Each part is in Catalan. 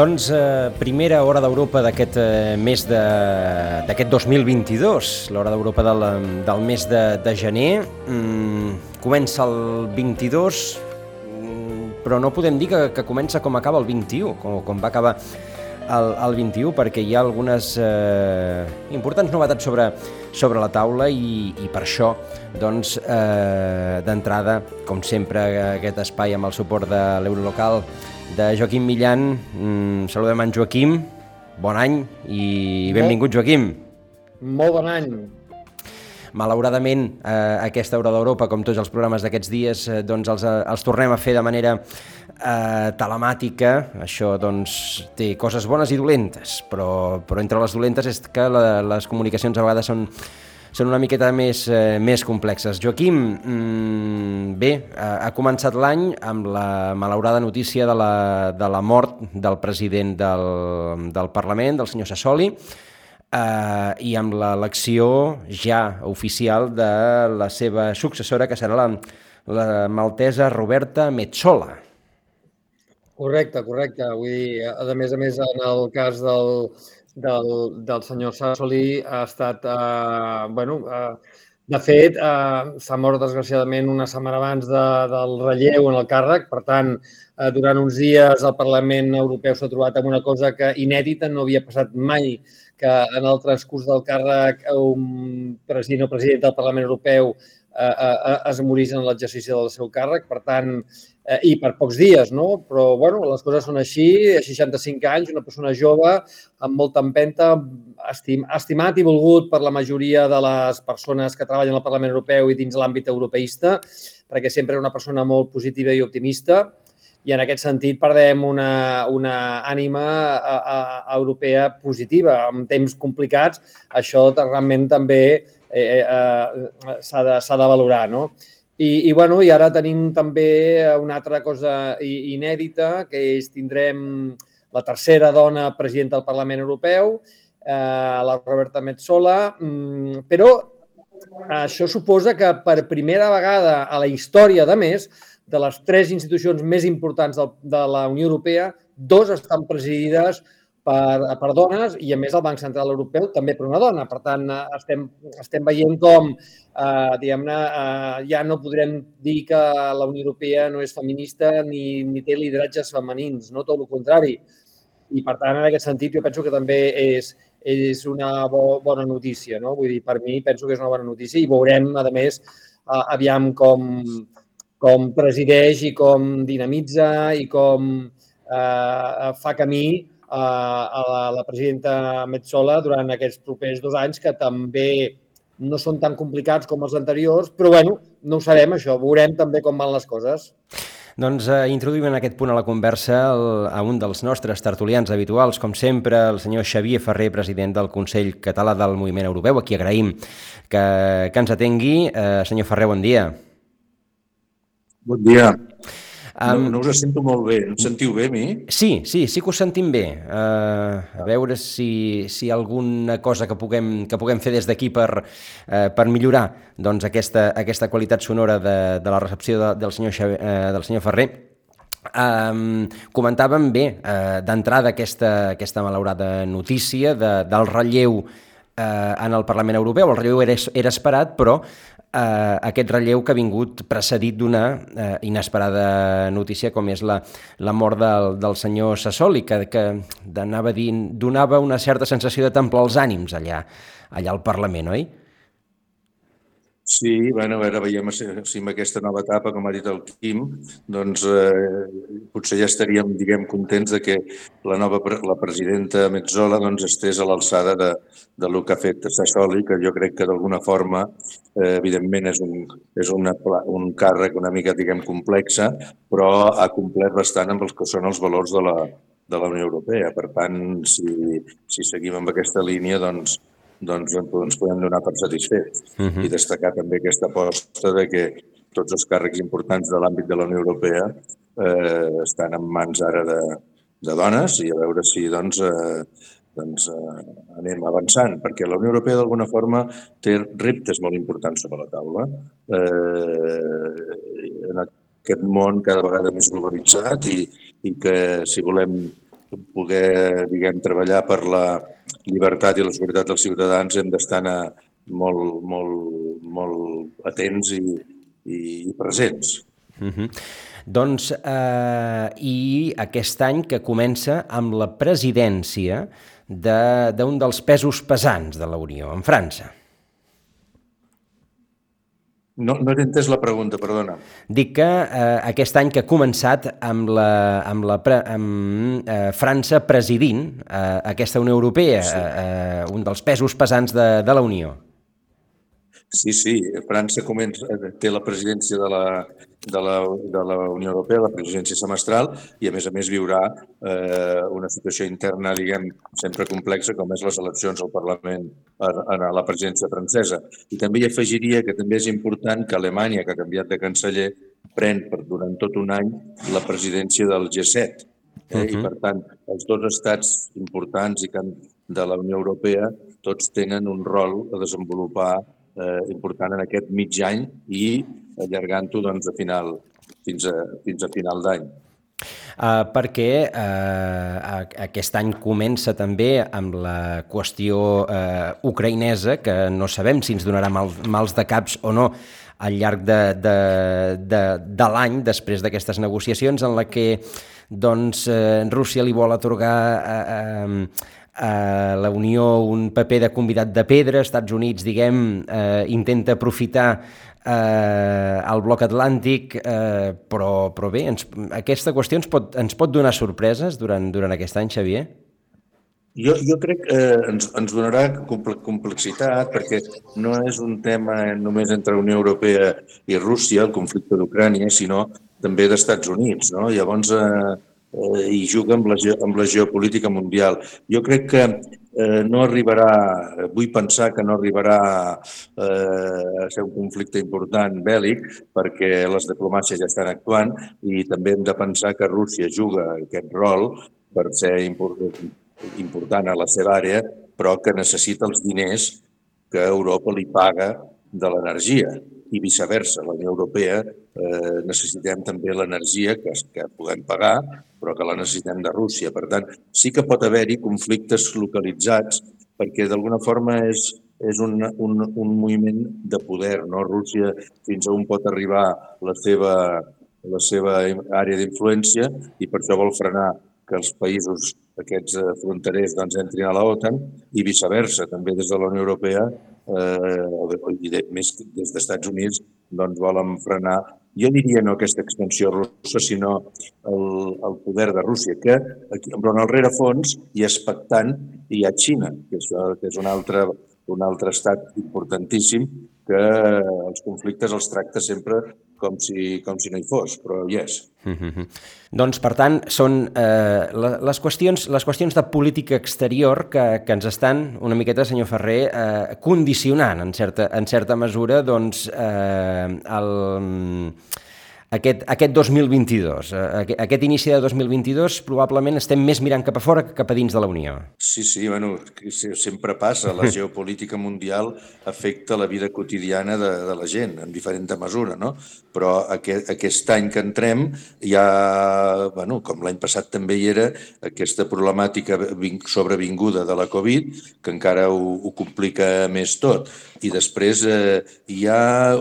Doncs primera Hora d'Europa d'aquest mes d'aquest 2022, l'Hora d'Europa del mes de gener. Comença el 22, però no podem dir que comença com acaba el 21, com va acabar el 21, perquè hi ha algunes importants novetats sobre la taula i per això, doncs, d'entrada, com sempre, aquest espai amb el suport de l'Eurolocal de Joaquim Millan. Saludem en Joaquim, bon any i benvingut, Joaquim. Molt bon any. Malauradament, aquesta Hora d'Europa, com tots els programes d'aquests dies, doncs els tornem a fer de manera telemàtica. Això doncs té coses bones i dolentes, però entre les dolentes és que les comunicacions a vegades són una miqueta més complexes. Joaquim, bé, ha començat l'any amb la malaurada notícia de la mort del president del Parlament, del senyor Sassoli, i amb l'elecció ja oficial de la seva successora, que serà la maltesa Roberta Metsola. Correcte. Vull dir, a més, en el cas del senyor Sassoli ha estat, de fet, s'ha mort desgraciadament una setmana abans del relleu en el càrrec. Per tant, durant uns dies el Parlament Europeu s'ha trobat amb una cosa que inèdita, no havia passat mai que en el transcurs del càrrec un president o presidenta del Parlament Europeu es morís en l'exercici del seu càrrec. Per tant, i per pocs dies, no? Però, les coses són així. A 65 anys, una persona jove, amb molta empenta, estimat i volgut per la majoria de les persones que treballen al Parlament Europeu i dins l'àmbit europeista, perquè sempre era una persona molt positiva i optimista, i en aquest sentit perdem una ànima europea positiva. En temps complicats, això realment també s'ha de valorar, no? I ara tenim també una altra cosa inèdita, que és tindrem la tercera dona presidenta del Parlament Europeu, la Roberta Metsola, però això suposa que per primera vegada a la història, de més, de les tres institucions més importants de la Unió Europea, dos estan presidides per dones, i a més el Banc Central Europeu també per una dona. Per tant, estem veient com, diguem-ne, ja no podrem dir que la Unió Europea no és feminista ni té lideratges femenins, no? Tot el contrari. I, per tant, en aquest sentit, jo penso que també és una bona notícia, no? Vull dir, per mi penso que és una bona notícia i veurem, a més, aviam com presideix i com dinamitza i com fa camí a la presidenta Metsola durant aquests propers 2 anys, que també no són tan complicats com els anteriors, però no ho sabem, això. Veurem també com van les coses. Doncs introduïm en aquest punt a la conversa a un dels nostres tertulians habituals, com sempre, el senyor Xavier Ferrer, president del Consell Català del Moviment Europeu, a qui agraïm que ens atengui. Senyor Ferrer, bon dia. Bon dia. No us sento molt bé. Em sentiu bé, a mi? Sí que us sentim bé. A veure si hi ha alguna cosa que puguem fer des d'aquí per millorar, doncs, aquesta qualitat sonora de la recepció del senyor Ferrer. Comentàvem bé, d'entrada, aquesta malaurada notícia del relleu en el Parlament Europeu. El relleu era esperat, però aquest relleu que ha vingut precedit d'una inesperada notícia, com és la mort del senyor Sassoli, que donava una certa sensació de templar els ànims allà al Parlament, oi? Sí, a veure, veiem si amb aquesta nova etapa, com ha dit el Quim, doncs potser ja estaríem, contents de que la presidenta Metsola estés a l'alçada del que ha fet Sassoli, que jo crec que d'alguna forma, evidentment, és un càrrec una mica, complexa, però ha complert bastant amb els que són els valors de la Unió Europea. Per tant, si seguim amb aquesta línia, doncs ens podem donar per satisfets. I destacar també aquesta aposta de que tots els càrrecs importants de l'àmbit de la Unió Europea estan en mans ara de dones, i a veure si anem avançant, perquè la Unió Europea d'alguna forma té reptes molt importants sobre la taula. En aquest món cada vegada més globalitzat i que si volem poder, diguem, treballar per la llibertat i la seguretat dels ciutadans hem d'estar molt, molt, molt atents i presents. Doncs, i aquest any que comença amb la presidència d'un dels pesos pesants de la Unió, en França. No he entès la pregunta, perdona. Dic que aquest any que ha començat amb França presidint aquesta Unió Europea, un dels pesos pesants de la Unió. Sí, França té la presidència de la Unió Europea, la presidència semestral, i a més viurà una situació interna, diguem, sempre complexa, com és les eleccions al Parlament a la presidència francesa. I també hi afegiria que també és important que Alemanya, que ha canviat de canceller, pren durant tot un any la presidència del G7. I, per tant, els dos estats importants de la Unió Europea tots tenen un rol a desenvolupar important en aquest mig any i allargant-ho fins a final d'any. Perquè aquest any comença també amb la qüestió ucraïnesa, que no sabem si ens donarà mals de caps o no al llarg de l'any, després d'aquestes negociacions, en la que Rússia li vol atorgar a la Unió un paper de convidat de pedra. Estats Units, diguem, intenta aprofitar el bloc atlàntic, però bé, aquesta qüestió ens pot donar sorpreses durant aquest any, Xavier? Jo crec que ens donarà complexitat, perquè no és un tema només entre la Unió Europea i Rússia, el conflicte d'Ucrània, sinó també d'Estats Units, no? Llavors, i juga amb la geopolítica mundial. Jo crec que no arribarà, vull pensar que no arribarà a ser un conflicte important bèl·lic, perquè les diplomàcies ja estan actuant i també hem de pensar que Rússia juga aquest rol per ser important a la seva àrea, però que necessita els diners que Europa li paga de l'energia. I viceversa, la Unió Europea necessitem també l'energia que puguem pagar, però que la necessitem de Rússia. Per tant, sí que pot haver-hi conflictes localitzats, perquè d'alguna forma és un moviment de poder, no? Rússia fins a on pot arribar la seva àrea d'influència i per això vol frenar que els països aquests fronterers entrin a l'OTAN i viceversa, també des de la Unió Europea i més des dels Estats Units volen frenar, jo diria no aquesta expansió russa, sinó el poder de Rússia, que però en el rerefons i expectant hi ha Xina, que és un altre estat importantíssim que els conflictes els tracta sempre com si no hi fos, però hi és. Doncs, per tant, són les qüestions de política exterior que ens estan una miqueta, senyor Ferrer, condicionant, en certa mesura, aquest 2022. Aquest inici de 2022 probablement estem més mirant cap a fora que cap a dins de la Unió. Sí, sempre passa. La geopolítica mundial afecta la vida quotidiana de la gent en diferent mesura, no? Però aquest any que entrem hi ha, com l'any passat també hi era, aquesta problemàtica sobrevinguda de la Covid, que encara ho complica més tot. I després hi ha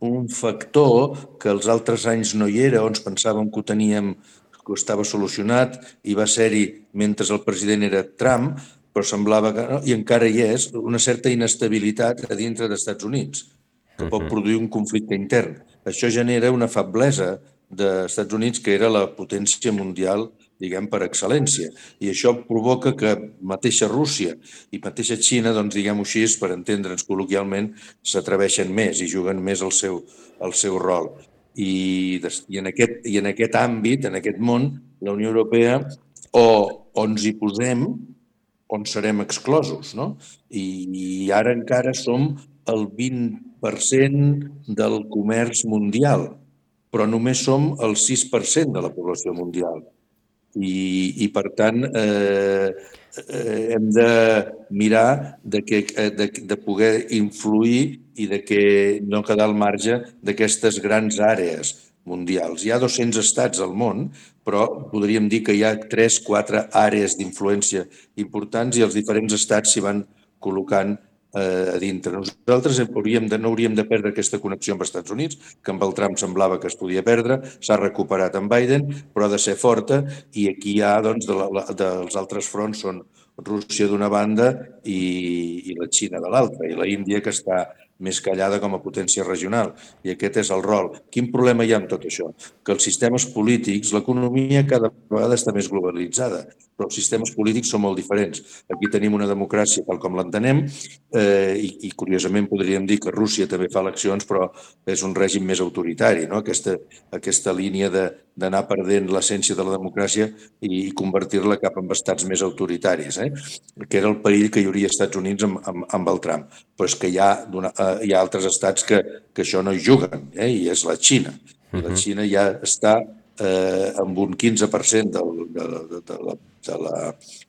un factor que els altres anys no hi era, on pensàvem que ho teníem, que estava solucionat, i va ser-hi mentre el president era Trump, però semblava que no, i encara hi és una certa inestabilitat a dintre dels Estats Units, que pot produir un conflicte intern. Això genera una feblesa dels Estats Units, que era la potència mundial, diguem, per excel·lència. I això provoca que mateixa Rússia i mateixa Xina, diguem-ho així, per entendre'ns col·loquialment, s'atreveixen més i juguen més el seu rol. I en aquest àmbit, en aquest món, la Unió Europea o ens hi posem o en serem exclosos, no? I ara encara som el 20% del comerç mundial, però només som el 6% de la població mundial. I per tant, hem de mirar de poder influir i de no quedar al marge d'aquestes grans àrees mundials. Hi ha 200 estats al món, però podríem dir que hi ha 3-4 àrees d'influència importants i els diferents estats s'hi van col·locant a dintre. Nosaltres no hauríem de perdre aquesta connexió amb els Estats Units, que amb el Trump semblava que es podia perdre, s'ha recuperat amb Biden, però ha de ser forta, i aquí hi ha, doncs, dels altres fronts són Rússia d'una banda i la Xina de l'altra, i la Índia, que està més callada com a potència regional. I aquest és el rol. Quin problema hi ha amb tot això? Que els sistemes polítics, l'economia cada vegada està més globalitzada, però els sistemes polítics són molt diferents. Aquí tenim una democràcia tal com l'entenem i curiosament podríem dir que Rússia també fa eleccions, però és un règim més autoritari, no? Aquesta línia d'anar perdent l'essència de la democràcia i convertir-la cap en estats més autoritaris, que era el perill que hi hauria als Estats Units amb el Trump. Però és que hi ha altres estats que això no hi juguen, i és la Xina. I la Xina ja està amb un 15%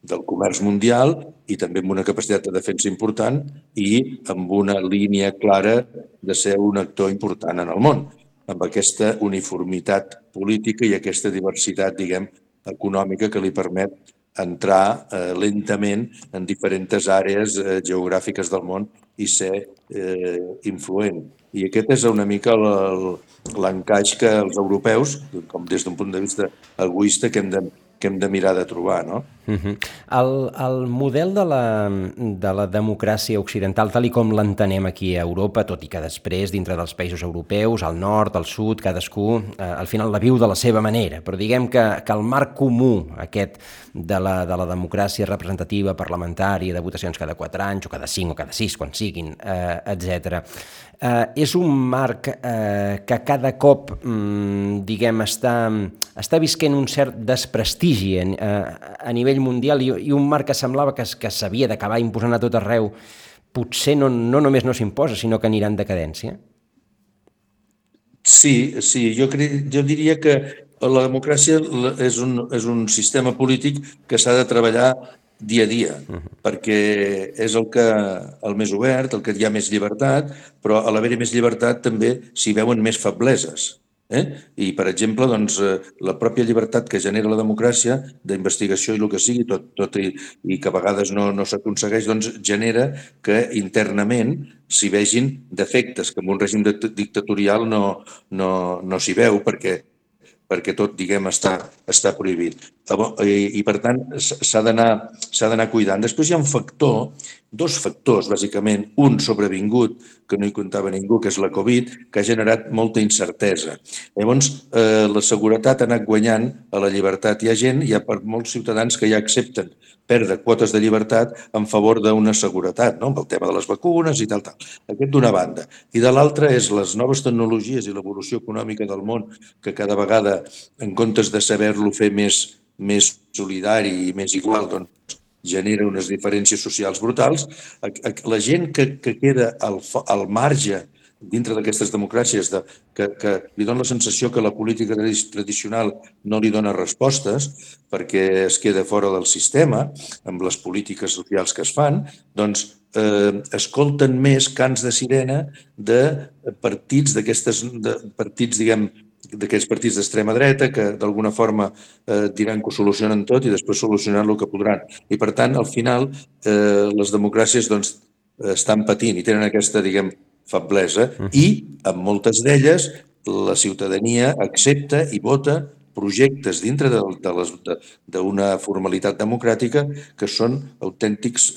del comerç mundial i també amb una capacitat de defensa important i amb una línia clara de ser un actor important en el món, amb aquesta uniformitat política i aquesta diversitat, diguem, econòmica que li permet entrar lentament en diferents àrees geogràfiques del món i ser influent. I aquest és una mica l'encaix que els europeus, com des d'un punt de vista egoista, que hem de mirar de trobar, no? El model de la democràcia occidental, tal com l'entenem aquí a Europa, tot i que després, dintre dels països europeus, al nord, al sud, cadascú, al final la viu de la seva manera, però diguem que el marc comú aquest de la democràcia representativa, parlamentària, de votacions cada 4 anys, o cada 5, o cada 6, quan siguin, etc., és un marc que cada cop, diguem, està visquent un cert desprestigi a nivell mundial i un marc que semblava que s'havia d'acabar imposant a tot arreu, potser no només no s'imposa, sinó que anirà en decadència? Sí, jo diria que la democràcia és un sistema polític que s'ha de treballar dia a dia, perquè és el més obert, el que hi ha més llibertat, però a l'haver-hi més llibertat també s'hi veuen més febleses. I, per exemple, doncs, la pròpia llibertat que genera la democràcia, d'investigació i el que sigui, tot i que a vegades no s'aconsegueix, doncs genera que internament s'hi vegin defectes que en un règim dictatorial no s'hi veu perquè tot, diguem, està prohibit. I per tant, s'ha d'anar cuidant. Després hi ha dos factors, bàsicament. Un sobrevingut, que no hi comptava ningú, que és la Covid, que ha generat molta incertesa. Llavors, la seguretat ha anat guanyant a la llibertat. Hi ha molts ciutadans que ja accepten perdre quotes de llibertat en favor d'una seguretat, no? Amb el tema de les vacunes i tal. Aquest d'una banda. I de l'altra és les noves tecnologies i l'evolució econòmica del món, que cada vegada, en comptes de saber-lo fer més solidari i més igual, doncs genera unes diferències socials brutals. La gent que queda al marge dintre d'aquestes democràcies, que li dona la sensació que la política tradicional no li dona respostes perquè es queda fora del sistema amb les polítiques socials que es fan, doncs escolten més cants de sirena de partits d'aquests partits d'extrema dreta que d'alguna forma diran que ho solucionen tot i després solucionaran el que podran. I per tant, al final, les democràcies estan patint i tenen aquesta, diguem, feblesa i en moltes d'elles la ciutadania accepta i vota projectes dintre d'una formalitat democràtica que són autèntics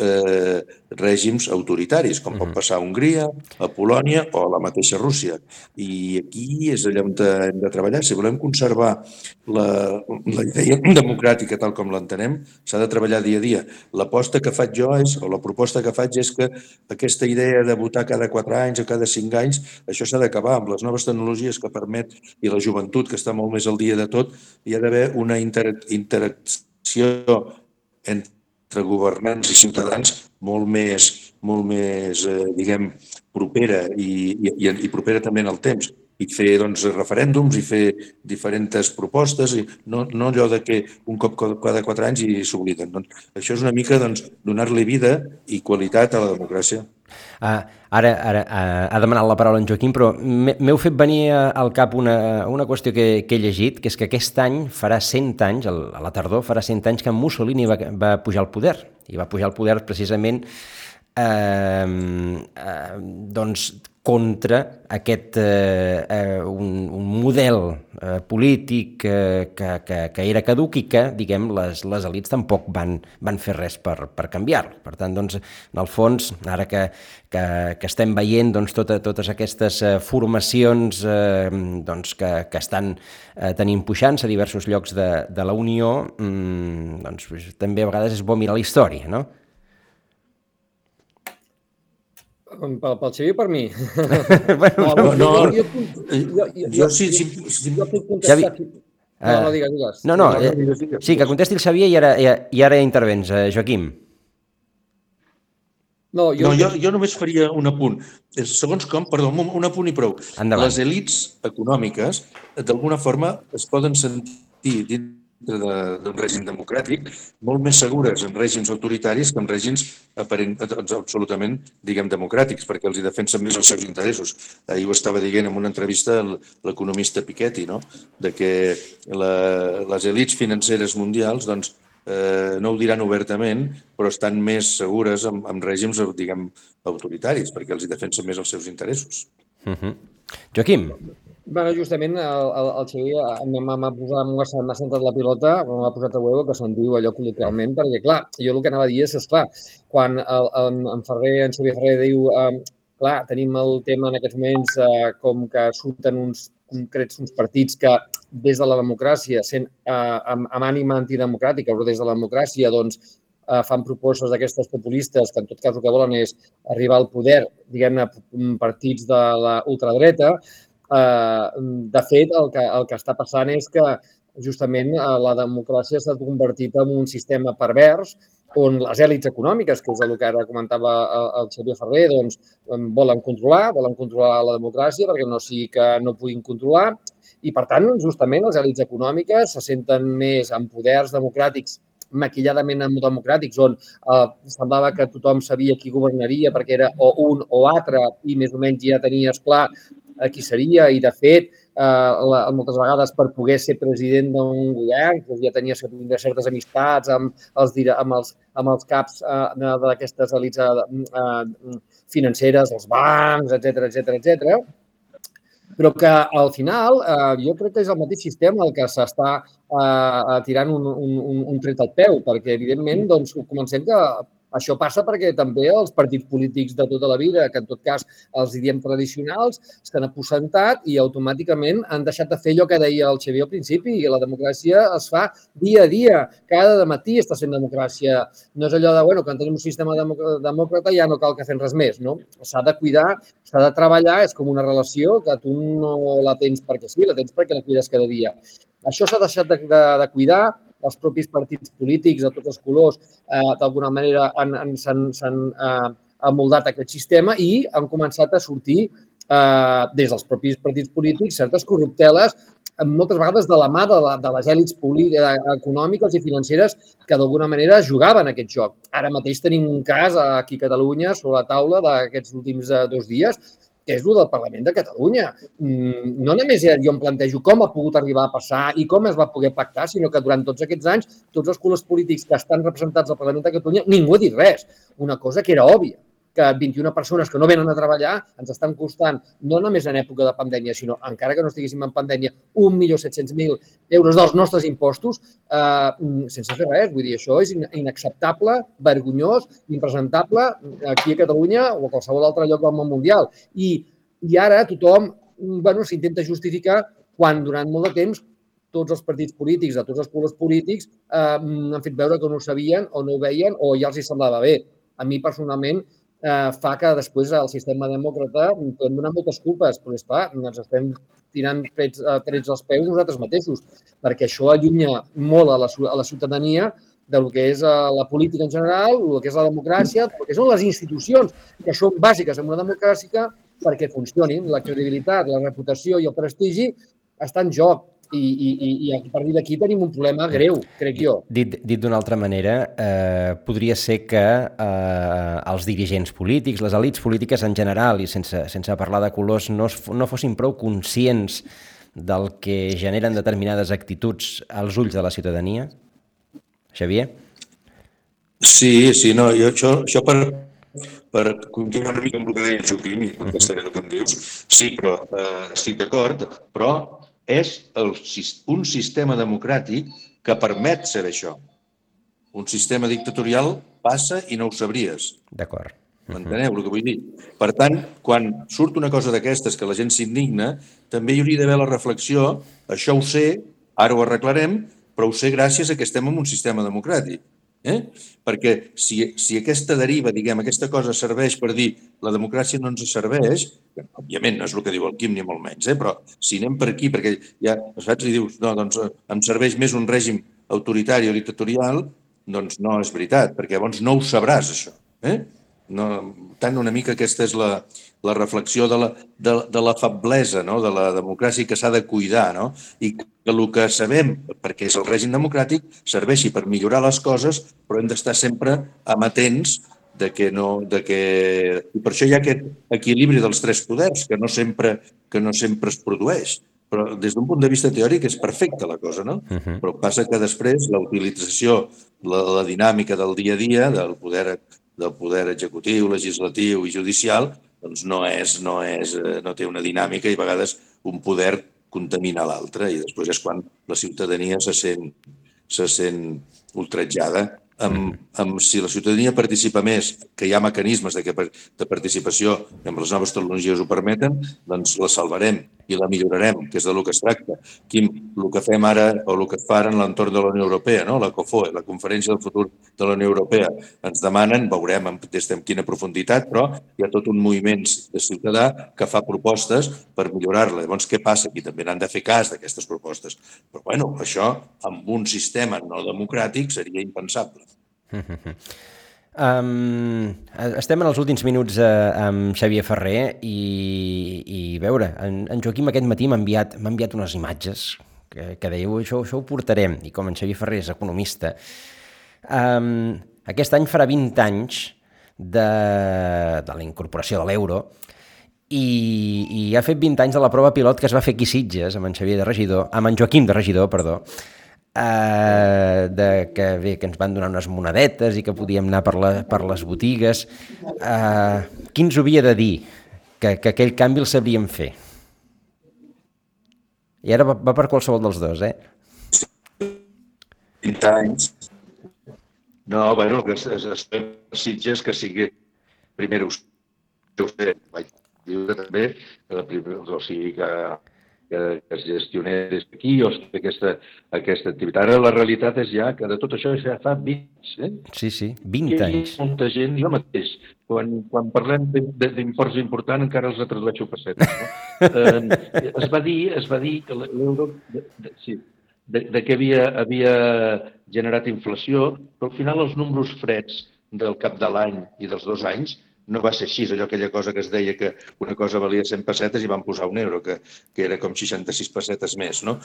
règims autoritaris, com pot passar a Hongria, a Polònia o a la mateixa Rússia. I aquí és allà on hem de treballar. Si volem conservar la idea democràtica tal com l'entenem, s'ha de treballar dia a dia. L'aposta que faig jo o la proposta que faig és que aquesta idea de votar cada 4 anys o cada 5 anys, això s'ha d'acabar amb les noves tecnologies que permet i la joventut que està molt més al dia de tot. Hi ha d'haver una interacció entre governants i ciutadans molt més diguem, propera i propera també en el temps. I fer referèndums i fer diferents propostes, i no allò que un cop cada 4 anys i s'obliden. Això és una mica donar-li vida i qualitat a la democràcia. Ara ha demanat la paraula en Joaquim, però m'heu fet venir al cap una qüestió que he llegit, que és que aquest any farà 100 anys, a la tardor, farà 100 anys que Mussolini va pujar al poder, i va pujar al poder precisament doncs contra aquest un model polític que era caduc i que, diguem, les elits tampoc van fer res per canviar-lo. Per tant, doncs, en el fons, ara que estem veient doncs, totes aquestes formacions doncs, que estan tenint puixants a diversos llocs de la Unió, doncs, també a vegades és bo mirar la història, no? Pel Xavier o per mi? Jo sí. Jo puc contestar... No, digues. No, sí, que contesti el Xavier i ara intervens, Joaquim. Jo només faria un apunt. Segons com, perdó, un apunt i prou. Endavant. Les elits econòmiques, d'alguna forma, es poden sentir dintre d'un règim democràtic molt més segures en règims autoritaris que en règims absolutament, diguem, democràtics, perquè els hi defensen més els seus interessos. Ahir ho estava dient en una entrevista l'economista Piketty, no? De que les elits financeres mundials, doncs, no ho diran obertament, però estan més segures en règims, diguem, autoritaris, perquè els hi defensen més els seus interessos. Joaquim. Bueno, justament el Xavier m'ha centrat la pilota, m'ha posat a huevo, que se'n diu allò col·loquialment, perquè, clar, jo el que anava a dir és, esclar, quan en Xavier Ferrer diu, clar, tenim el tema en aquests moments com que surten uns partits que des de la democràcia, sent amb ànima antidemocràtica, però des de la democràcia, doncs, fan propostes d'aquestes populistes que en tot cas el que volen és arribar al poder, diguem-ne, partits de la ultradreta. De fet, el que està passant és que justament la democràcia s'ha convertit en un sistema pervers on les èlits econòmiques, que és el que ara comentava el Xavier Ferrer, doncs volen controlar la democràcia perquè no sigui que no puguin controlar i, per tant, justament les èlits econòmiques se senten més en poders democràtics maquilladament democràtics, on semblava que tothom sabia qui governaria perquè era o un o altre i més o menys ja tenies clar qui seria i, de fet, moltes vegades per poder ser president d'un govern ja tenia certes amistats amb els caps d'aquestes elits financeres, els bancs, etcètera, però que al final jo crec que és el mateix sistema el que s'està tirant un tret al peu, perquè evidentment doncs, comencem que això passa perquè també els partits polítics de tota la vida, que en tot cas els diem tradicionals, s'han aposentat i automàticament han deixat de fer allò que deia el Xavier al principi, i la democràcia es fa dia a dia, cada matí està sent democràcia. No és allò de, bueno, quan tenim un sistema demòcrata ja no cal que fem res més, no? S'ha de cuidar, s'ha de treballar, és com una relació que tu no la tens perquè sí, la tens perquè la cuides cada dia. Això s'ha deixat de cuidar, els propis partits polítics de tots els colors d'alguna manera s'han amoldat aquest sistema i han començat a sortir des dels propis partits polítics certes corrupteles, moltes vegades de la mà de les èlits econòmiques i financeres que d'alguna manera jugaven aquest joc. Ara mateix tenim un cas aquí a Catalunya sobre la taula d'aquests últims 2 dies, que és el del Parlament de Catalunya. No només jo em plantejo com ha pogut arribar a passar i com es va poder pactar, sinó que durant tots aquests anys, tots els colors polítics que estan representats al Parlament de Catalunya, ningú ha dit res. Una cosa que era òbvia, que 21 persones que no venen a treballar ens estan costant, no només en època de pandèmia, sinó encara que no estiguéssim en pandèmia, 1.700.000 euros dels nostres impostos sense fer res. Vull dir, això és inacceptable, vergonyós, impresentable aquí a Catalunya o a qualsevol altre lloc del món mundial. I ara tothom s'intenta justificar quan durant molt de temps tots els partits polítics, de tots els colors polítics, han fet veure que no ho sabien o no ho veien o ja els hi semblava bé. A mi, personalment, fa que després el sistema demòcrata podem donar moltes culpes, però és clar, ens estem tirant trets als peus nosaltres mateixos, perquè això allunya molt a la ciutadania del que és la política en general, el que és la democràcia, el que són les institucions, que són bàsiques en una democràcia perquè funcionin. La credibilitat, la reputació i el prestigi està en joc. I a partir d'aquí tenim un problema greu, crec jo. Dit d'una altra manera, podria ser que els dirigents polítics, les elits polítiques en general, i sense parlar de colors, no fossin prou conscients del que generen determinades actituds als ulls de la ciutadania? Xavier? Sí, no, això per continuar una mica amb el que deia Joaquim, i contestaré el que em dius, sí, però estic d'acord, però és un sistema democràtic que permet ser això. Un sistema dictatorial passa i no ho sabries. D'acord. M'enteneu el que vull dir? Per tant, quan surt una cosa d'aquestes que la gent s'indigna, també hi hauria d'haver la reflexió, això ho sé, ara ho arreglarem, però ho sé gràcies a que estem en un sistema democràtic. Perquè si aquesta deriva, diguem, aquesta cosa serveix per dir la democràcia no ens serveix, òbviament no és el que diu el Quim ni molt menys, però si anem per aquí, perquè ja saps i dius, no, doncs em serveix més un règim autoritari o dictatorial, doncs no és veritat, perquè llavors no ho sabràs, això. No, tant una mica aquesta és la reflexió de la feblesa, no? De la democràcia que s'ha de cuidar, no? I que el que sabem, perquè és el règim democràtic, serveixi per millorar les coses, però hem d'estar sempre amatents i per això hi ha aquest equilibri dels tres poders que no sempre es produeix. Però des d'un punt de vista teòric és perfecta la cosa, no? Però passa que després la utilització, la dinàmica del dia a dia, del poder executiu, legislatiu i judicial, doncs no té una dinàmica i a vegades un poder contamina l'altre i després és quan la ciutadania se sent ultratjada. Si la ciutadania participa més, que hi ha mecanismes de participació que amb les noves tecnologies ho permeten, doncs la salvarem i la millorarem, que és del que es tracta. Quim, el que fem ara o el que es fa ara en l'entorn de la Unió Europea, la COFOE, la Conferència del Futur de la Unió Europea, ens demanen, veurem des de quina profunditat, però hi ha tot un moviment de ciutadà que fa propostes per millorar-la. Llavors, què passa? Aquí també n'han de fer cas d'aquestes propostes. Però, bueno, això amb un sistema no democràtic seria impensable. Estem en els últims minuts amb Xavier Ferrer i veure, en Joaquim aquest matí m'ha enviat unes imatges que dèieu, això ho portarem, i com en Xavier Ferrer és economista, aquest any farà 20 anys de la incorporació de l'euro i ha fet 20 anys de la prova pilot que es va fer aquí a Sitges amb en Joaquim de regidor, perdó, que ens van donar unes monedetes i que podíem anar per les botigues. Qui ens ho havia de dir que aquell canvi el sabríem fer? I ara va per qualsevol dels dos, 20 anys. No, bueno, que es Sitges que sigui primer ho sé, vaig dir també o sigui que es gestionés aquí o aquesta activitat. Ara la realitat és ja que de tot això ja fa 20 anys. Sí, 20 anys. Hi ha molta gent, jo mateix, quan parlem d'imports importants encara els tradueixo a pessetes. Es va dir que l'euro que havia generat inflació, però al final els números freds del cap de l'any i dels 2 anys no va ser així, aquella cosa que es deia que una cosa valia 100 pessetes i van posar un euro, que era com 66 pessetes més, no?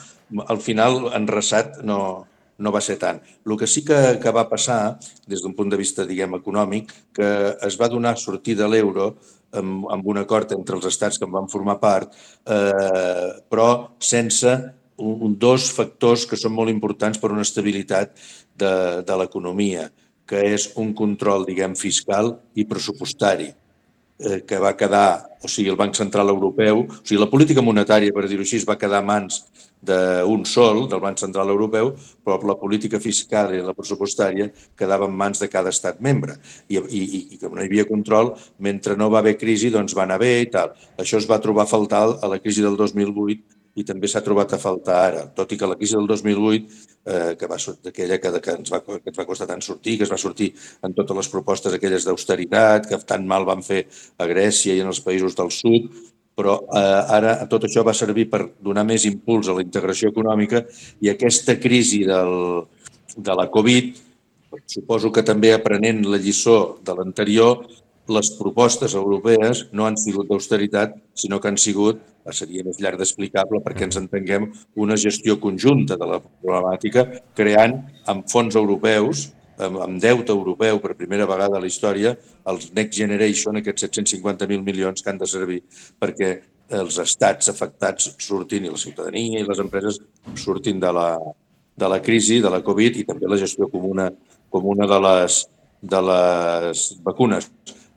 Al final, enraçat, no va ser tant. El que sí que va passar, des d'un punt de vista, diguem, econòmic, que es va donar sortida a l'euro amb un acord entre els estats que en van formar part, però sense dos factors que són molt importants per una estabilitat de l'economia, que és un control, diguem, fiscal i pressupostari, que va quedar, o sigui, el Banc Central Europeu, o sigui, la política monetària, per dir-ho així, va quedar a mans d'un sol, del Banc Central Europeu, però la política fiscal i la pressupostària quedava en mans de cada estat membre. I com no hi havia control, mentre no va haver crisi, doncs va anar bé i tal. Això es va trobar a faltar a la crisi del 2008 i també s'ha trobat a faltar ara, tot i que la crisi del 2008, que va sortir aquella que ens va costar tant sortir, que es va sortir en totes les propostes aquelles d'austeritat, que tan mal van fer a Grècia i en els països del sud, però ara tot això va servir per donar més impuls a la integració econòmica i aquesta crisi de la Covid, suposo que també aprenent la lliçó de l'anterior, les propostes europees no han sigut d'austeritat, sinó que han sigut, seria més llarg d'explicable perquè ens entenguem, una gestió conjunta de la problemàtica, creant amb fons europeus, amb deute europeu per primera vegada a la història, els Next Generation, aquests 750.000 milions que han de servir perquè els estats afectats surtin, i la ciutadania i les empreses surtin de la crisi, de la Covid, i també la gestió comuna de les vacunes.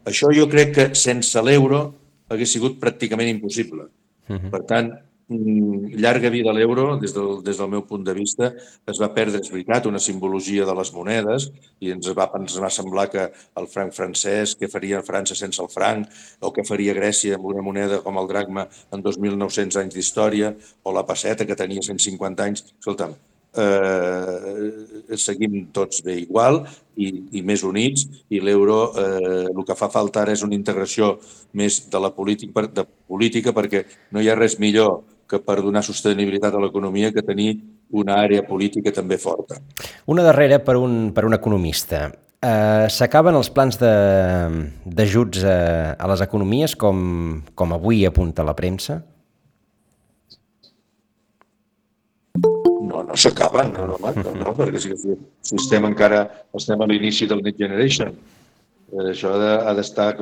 Això jo crec que sense l'euro hagués sigut pràcticament impossible. Per tant, llarga vida a l'euro, des del meu punt de vista, es va perdre, és veritat, una simbologia de les monedes i ens va semblar que el franc francès, què faria França sense el franc, o què faria Grècia amb una moneda com el dracma en 2.900 anys d'història, o la pesseta que tenia 150 anys. Escolta'm, seguim tots bé igual i més units, i l'euro el que fa falta ara és una integració més de la política perquè no hi ha res millor que per donar sostenibilitat a l'economia que tenir una àrea política també forta. Una darrera per un economista. S'acaben els plans d'ajuts a les economies com avui apunta la premsa? No s'acaben, no, perquè si estem encara a l'inici del Next Generation. Això ha d'estar...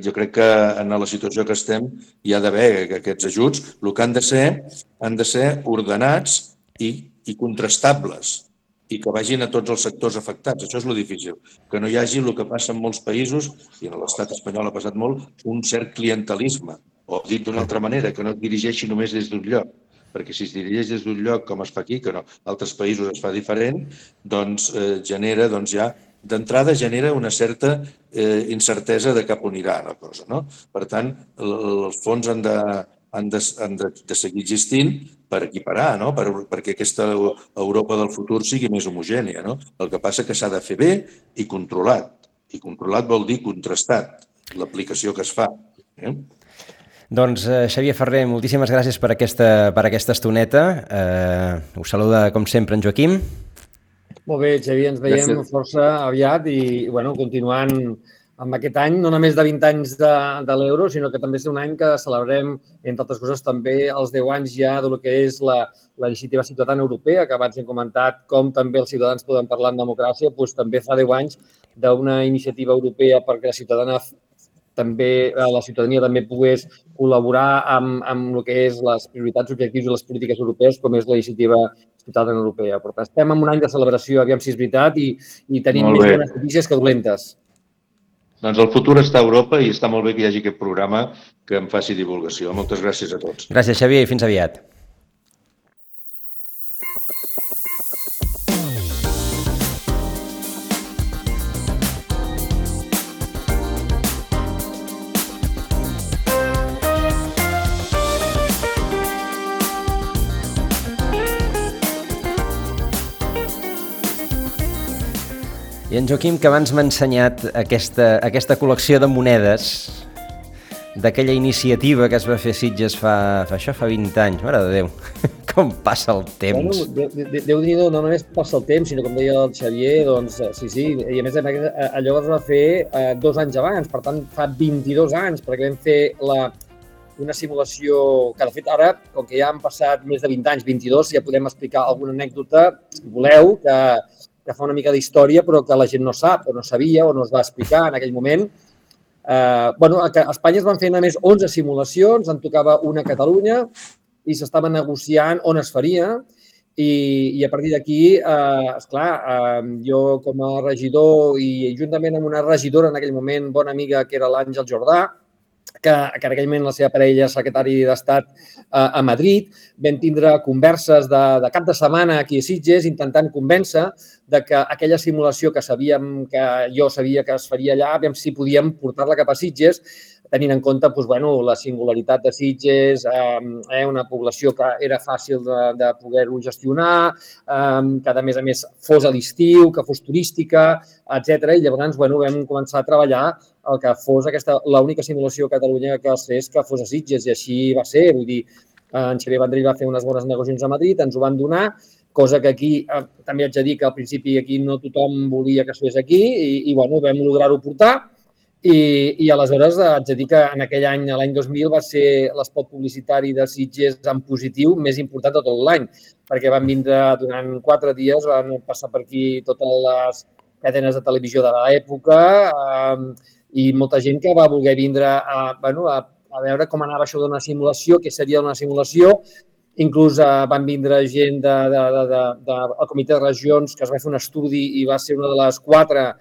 Jo crec que en la situació que estem hi ha d'haver aquests ajuts. El que han de ser ordenats i contrastables i que vagin a tots els sectors afectats. Això és lo difícil. Que no hi hagi el que passa en molts països, i en l'estat espanyol ha passat molt, un cert clientelisme. O dit d'una altra manera, que no es dirigeixi només des d'un lloc. Perquè si es dirigeix des d'un lloc, com es fa aquí, que no, altres països es fa diferent, doncs genera, ja d'entrada genera una certa incertesa de cap on irà la cosa, no? Per tant, els fons han de seguir existint per equiparar, no? Perquè aquesta Europa del futur sigui més homogènia, no? El que passa que s'ha de fer bé i controlat. I controlat vol dir contrastat, l'aplicació que es fa. Doncs, Xavier Ferrer, moltíssimes gràcies per aquesta estoneta. Us saluda, com sempre, en Joaquim. Molt bé, Xavier, ens veiem força aviat i, continuant amb aquest any, no només de 20 anys de l'euro, sinó que també és un any que celebrem, entre altres coses, també els 10 anys ja del que és la iniciativa ciutadana europea, que abans hem comentat com també els ciutadans poden parlar en democràcia, doncs també fa 10 anys d'una iniciativa europea perquè la ciutadania també pogués col·laborar amb el que és les prioritats, objectius i les polítiques europees, com és la iniciativa ciutadana europea. Per tant, estem en un any de celebració, aviam si és veritat, i tenim més bones notícies que dolentes. Doncs el futur està a Europa i està molt bé que hi hagi aquest programa que em faci divulgació. Moltes gràcies a tots. Gràcies, Xavier, i fins aviat. I en Joaquim, que abans m'ha ensenyat aquesta col·lecció de monedes d'aquella iniciativa que es va fer a Sitges fa 20 anys. Mare de Déu, com passa el temps. Déu-n'hi-do, no només passa el temps, sinó com deia el Xavier, doncs sí, i a més allò es va fer 2 anys abans, per tant fa 22 anys, perquè vam fer una simulació que, de fet, ara, com que ja han passat més de 20 anys, 22, ja podem explicar alguna anècdota, si voleu, que fa una mica d'història, però que la gent no sap, o no sabia, o no es va explicar en aquell moment. A Espanya es van fer només 11 simulacions, en tocava una a Catalunya, i s'estava negociant on es faria, i a partir d'aquí, esclar, jo com a regidor i juntament amb una regidora en aquell moment, bona amiga, que era l'Àngel Jordà, que en aquell moment la seva parella és secretari d'Estat a Madrid, vam tindre converses de cap de setmana aquí a Sitges intentant convèncer de que aquella simulació que jo sabia que es faria allà, aviam si podíem portar-la cap a Sitges, tenint en compte la singularitat de Sitges, una població que era fàcil de poder-ho gestionar, que a més fos a l'estiu, que fos turística, etc. I llavors vam començar a treballar el que fos l'única simulació a Catalunya que es fes que fos a Sitges, i així va ser. Vull dir, en Xavier Vendrell va fer unes bones negociacions a Madrid, ens ho van donar, cosa que aquí també haig de dir que al principi aquí no tothom volia que es fes aquí i vam lograr-ho portar. I aleshores haig de dir que en aquell any, l'any 2000, va ser l'espot publicitari de Sitges en positiu més important de tot l'any, perquè van vindre durant 4 dies, van passar per aquí totes les cadenes de televisió de l'època i molta gent que va voler vindre a veure com anava això d'una simulació, què seria una simulació. Inclús van vindre gent del Comitè de Regions, que es va fer un estudi i va ser una de les 4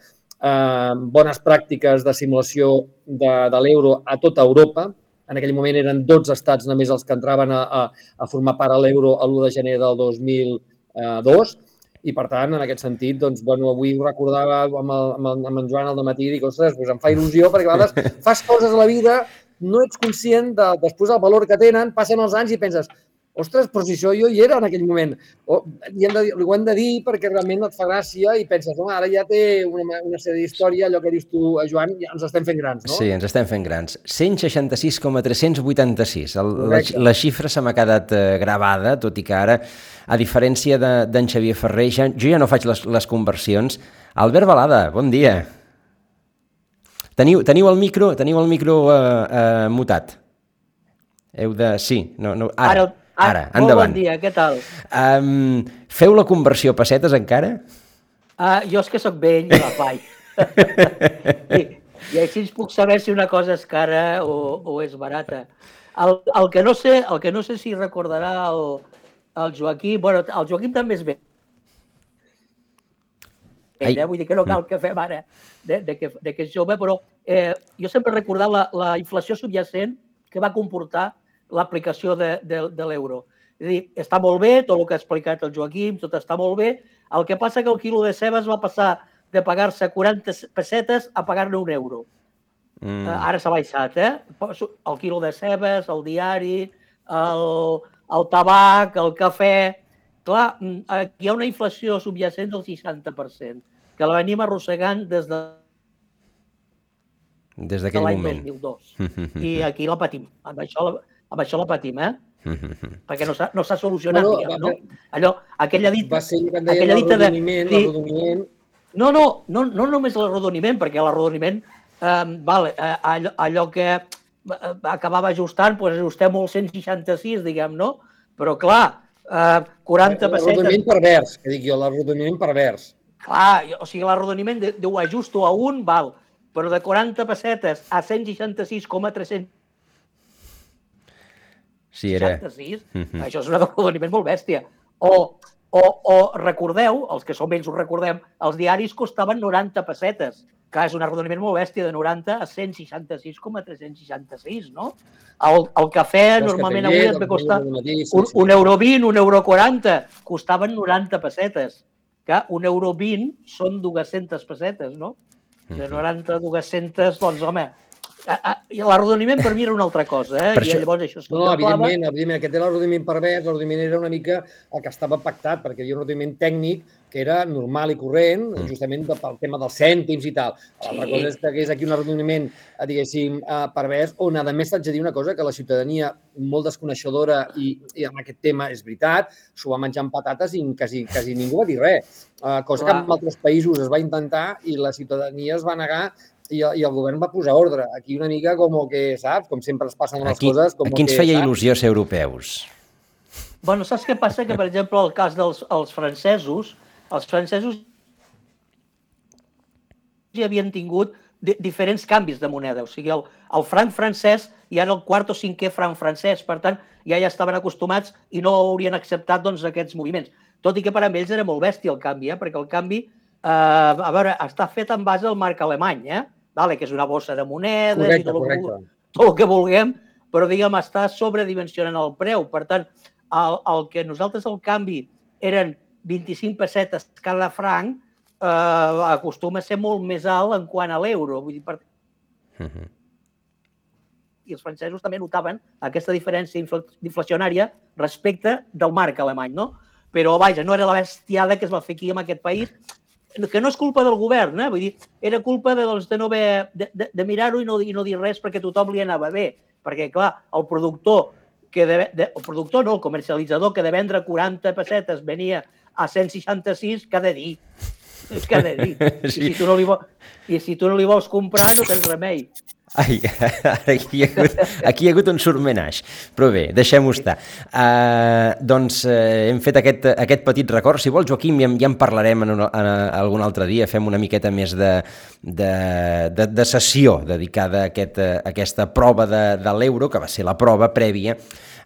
bones pràctiques de simulació de l'euro a tota Europa. En aquell moment eren 12 estats només els que entraven a formar part de l'euro l'1 de gener del 2002 i, per tant, en aquest sentit, doncs, avui ho recordava amb en Joan al dematí i dic, ostres, doncs em fa il·lusió perquè a vegades fas coses a la vida, no ets conscient de després el valor que tenen, passen els anys i penses, ostres, però si això jo hi era en aquell moment. Ho hem de dir perquè realment et fa gràcia i penses, home, ara ja té una sèrie d'història, allò que dius tu, Joan, ja ens estem fent grans, no? Sí, ens estem fent grans. 166,386. La xifra se m'ha quedat gravada, tot i que ara, a diferència d'en Xavier Ferrer, jo ja no faig les conversions. Albert Balada, bon dia. Teniu el micro mutat. Heu de... Sí, no, ara, endavant. Bon dia, què tal? Feu la conversió a pessetes encara? Jo és que sóc vell i la faig. I així puc saber si una cosa és cara o és barata. El que no sé si recordarà el Joaquim, bueno, el Joaquim també és vell. Vull dir que no cal que fem ara de que és jove, però jo sempre he recordat la inflació subjacent que va comportar l'aplicació de l'euro. És a dir, està molt bé, tot el que ha explicat el Joaquim, tot està molt bé, el que passa que el quilo de cebes va passar de pagar-se 40 pessetes a pagar-ne €1. Ara s'ha baixat, el quilo de cebes, el diari, el tabac, el cafè... Clar, hi ha una inflació subjacent del 60%, que la venim arrossegant des d'aquell l'any moment. 2002. I aquí la patim. Amb això la patim, perquè no s'ha solucionat, diguem, no? Allò, aquella dita... Va ser que deia l'arrodoniment. No només l'arrodoniment, perquè l'arrodoniment, allò que acabava ajustant, doncs ajustem el 166, diguem, no? Però, clar, 40 pessetes... L'arrodoniment pervers, que dic jo, l'arrodoniment pervers. Clar, o sigui, l'arrodoniment ho ajusto a un, val, però de 40 pessetes a 166,300 Sí, era... 66, això és un arrodoniment molt bèstia. O recordeu, els que som vells ho recordem, els diaris costaven 90 pessetes, que és un arrodoniment molt bèstia, de 90 a 166,366, no? El cafè normalment avui et ve costar €1, €1,20, costaven 90 pessetes. Que €1,20 són 200 pessetes, no? De 90 a 200, doncs, home... L'arrodoniment per mi era una altra cosa, i llavors això es contemplava... No, evidentment, aquest era l'arrodoniment pervers, l'arrodoniment era una mica el que estava pactat, perquè hi havia un arrodoniment tècnic que era normal i corrent, justament pel tema dels cèntims i tal. L'altra cosa és que hagués aquí un arrodoniment, diguéssim, pervers, on, a més, t'haig de dir una cosa, que la ciutadania, molt desconeixedora i amb aquest tema, és veritat, s'ho va menjar amb patates i quasi ningú va dir res. Cosa que en altres països es va intentar i la ciutadania es va negar i el govern va posar ordre. Aquí una mica com que, saps, com sempre es passen les coses... A qui ens feia il·lusió ser europeus? Bueno, saps què passa? Que, per exemple, el cas dels francesos ja havien tingut diferents canvis de moneda. O sigui, el franc francès ja era el quart o cinquè franc francès. Per tant, ja estaven acostumats i no haurien acceptat aquests moviments. Tot i que per a ells era molt bèstia el canvi, perquè el canvi, a veure, està fet en base al marc alemany, que és una bossa de monedes i tot el que vulguem, però, diguem, està sobredimensionant el preu. Per tant, el que nosaltres el canvi eren 25 pessetes cada franc, acostuma a ser molt més alt en quant a l'euro. I els francesos també notaven aquesta diferència inflacionària respecte del marc alemany, no? Però, vaja, no era la bestiada que es va fer aquí en aquest país, que no és culpa del govern, vull dir, era culpa de mirar-ho i no dir res perquè tothom li anava bé. Perquè, clar, el comercialitzador que de vendre 40 pessetes venia a 166, què ha de dir? És que n'he dit. Sí. I si tu no li vols comprar, no tens remei. Ai, aquí hi ha hagut un surmenage, però bé, deixem-ho estar. Doncs hem fet aquest petit record. Si vols, Joaquim, ja en parlarem en algun altre dia, fem una miqueta més de sessió dedicada a aquesta prova de l'euro, que va ser la prova prèvia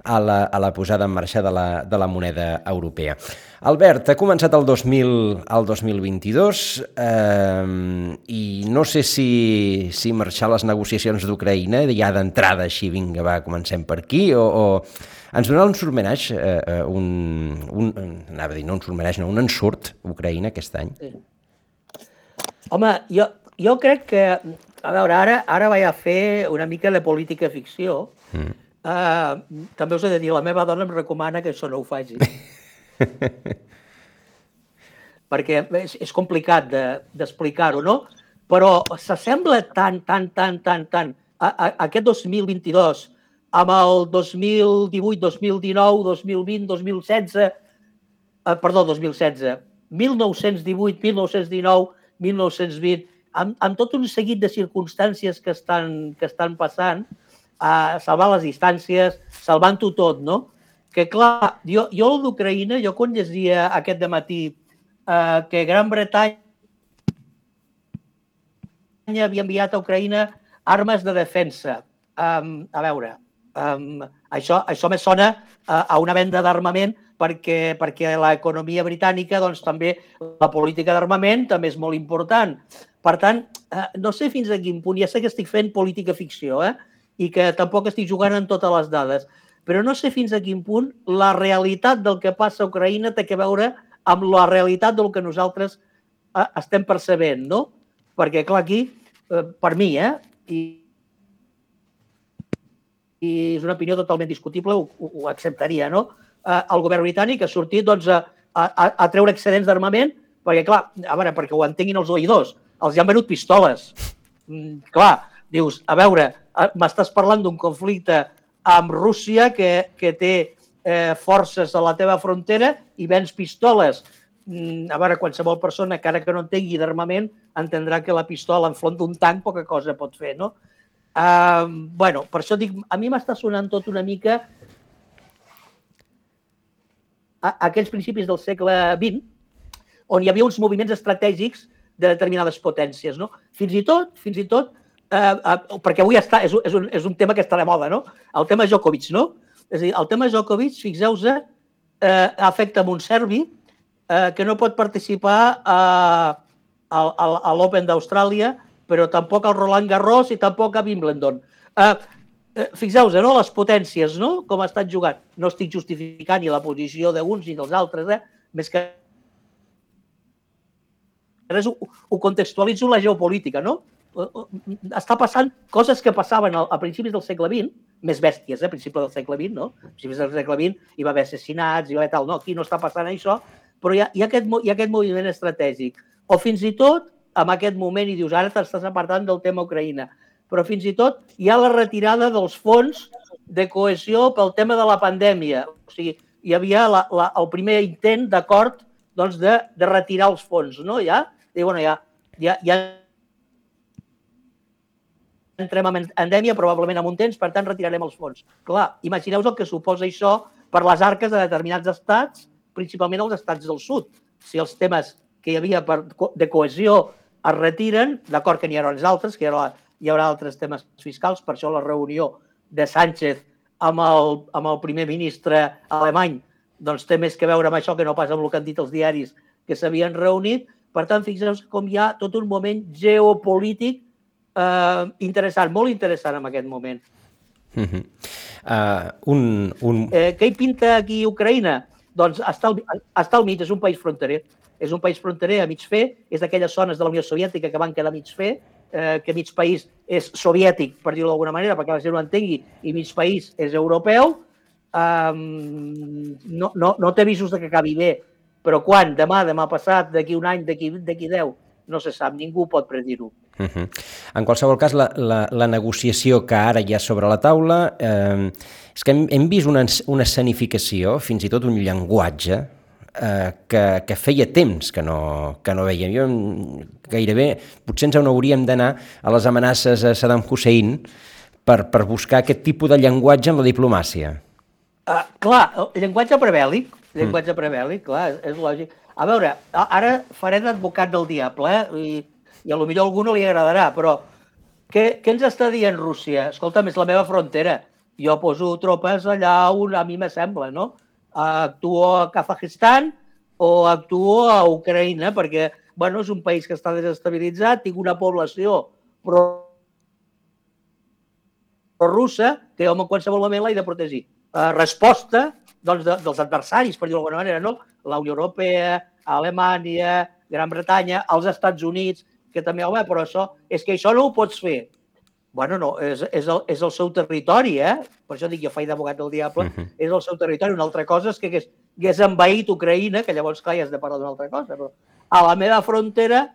a la posada en marxa de la moneda europea. Albert, ha començat el 2022 i no sé si marxar les negociacions d'Ucraïna ja d'entrada així, vinga, va, comencem per aquí, o ens donarà un surmenage, anava a dir, no un surmenage, no, un ensurt Ucraïna aquest any? Sí. Home, jo crec que, a veure, ara vaig a fer una mica de política ficció. També us he de dir, la meva dona em recomana que això no ho faci. Perquè és complicat d'explicar-ho, no? Però s'assembla tant aquest 2022 amb el 2018, 2019, 2020, 2016, 1918, 1919, 1920, amb tot un seguit de circumstàncies que estan passant, salvar les distàncies, salvant-ho tot, no? Que clar, jo d'Ucraïna, jo quan llegia aquest dematí que Gran Bretanya havia enviat a Ucraïna armes de defensa. A veure, això me sona a una venda d'armament perquè l'economia britànica, doncs també la política d'armament també és molt important. Per tant, no sé fins a quin punt, ja sé que estic fent política ficció, i que tampoc estic jugant en totes les dades, però no sé fins a quin punt la realitat del que passa a Ucraïna té a veure amb la realitat del que nosaltres estem percebent, no? Perquè, clar, aquí, per mi, i és una opinió totalment discutible, ho acceptaria, no? El govern britànic ha sortit doncs, a treure excedents d'armament, perquè, clar, a veure, perquè ho entenguin els oïdors, els han venut pistoles. Clar, dius, a veure, m'estàs parlant d'un conflicte amb Rússia que té forces a la teva frontera i vens pistoles. A veure, qualsevol persona, encara que no entengui d'armament, entendrà que la pistola enfront d'un tanc poca cosa pot fer, no? Bueno, per això dic, a mi m'està sonant tot una mica a aquells principis del segle XX, on hi havia uns moviments estratègics de determinades potències, no? Fins i tot, perquè avui és un tema que està de moda, no? El tema Djokovic, no? És a dir, el tema Djokovic, fixeu-vos, afecta un serbi que no pot participar a l'Open d'Austràlia, però tampoc al Roland Garros i tampoc a Wimbledon. Fixeu-vos, no? Les potències, no? Com ha estat jugant. No estic justificant ni la posició d'uns ni dels altres, més que ho contextualitzo la geopolítica, no? Està passant coses que passaven a principis del segle XX, més bèsties, a principis del segle XX, no? A principis del segle XX hi va haver assassinats, hi va haver tal, no? Aquí no està passant això, però hi ha aquest moviment estratègic. O fins i tot, en aquest moment, i dius, ara t'estàs apartant del tema Ucraïna, però fins i tot hi ha la retirada dels fons de cohesió pel tema de la pandèmia. O sigui, hi havia el primer intent d'acord doncs, de retirar els fons, no? Ja entrem en endèmia, probablement en un temps, per tant, retirarem els fons. Clar, imagineu-vos el que suposa això per les arques de determinats estats, principalment els estats del sud. Si els temes que hi havia de cohesió es retiren, d'acord que n'hi haurà uns altres, que hi haurà altres temes fiscals, per això la reunió de Sánchez amb el primer ministre alemany doncs té més que veure amb això que no pas amb el que han dit els diaris que s'havien reunit. Per tant, fixeu-vos com hi ha tot un moment geopolític interessant, molt interessant en aquest moment. Què hi pinta aquí Ucraïna? Doncs està al mig, és un país fronterer. És un país fronterer a mig fer, és d'aquelles zones de la Unió Soviètica que van quedar a mig fer, que mig país és soviètic, per dir-ho d'alguna manera, perquè la gent ho entengui, i mig país és europeu. No té visos que acabi bé, però quan? Demà passat, d'aquí un any, d'aquí 10, no se sap, ningú pot predir-ho. En qualsevol cas, la negociació que ara hi ha sobre la taula és que hem vist una escenificació, fins i tot un llenguatge que feia temps que no veiem. Jo gairebé, potser ens n'hauríem d'anar a les amenaces a Saddam Hussein per buscar aquest tipus de llenguatge en la diplomàcia. Clar, el llenguatge prebèl·lic, clar, és lògic. A veure, ara faré d'advocat del diable, i a lo millor a algú no li agradarà, però què ens està dient Rússia? Escolta'm, és la meva frontera. Jo poso tropes allà on a mi me sembla, no? Actuo a Kazajistan o actuo a Ucraïna, perquè, bueno, és un país que està desestabilitzat, tinc una població russa que jo en qualsevol moment l'he de protegir. Resposta dels adversaris, per dir-ho d'alguna manera, no? La Unió Europea, Alemanya, Gran Bretanya, els Estats Units, que també, home, però és que això no ho pots fer. Bueno, no, és el seu territori, Per això dic, jo faig d'abogat del diable, és el seu territori. Una altra cosa és que hagués envaït Ucraïna, que llavors, clar, ja has de parlar d'una altra cosa, però a la meva frontera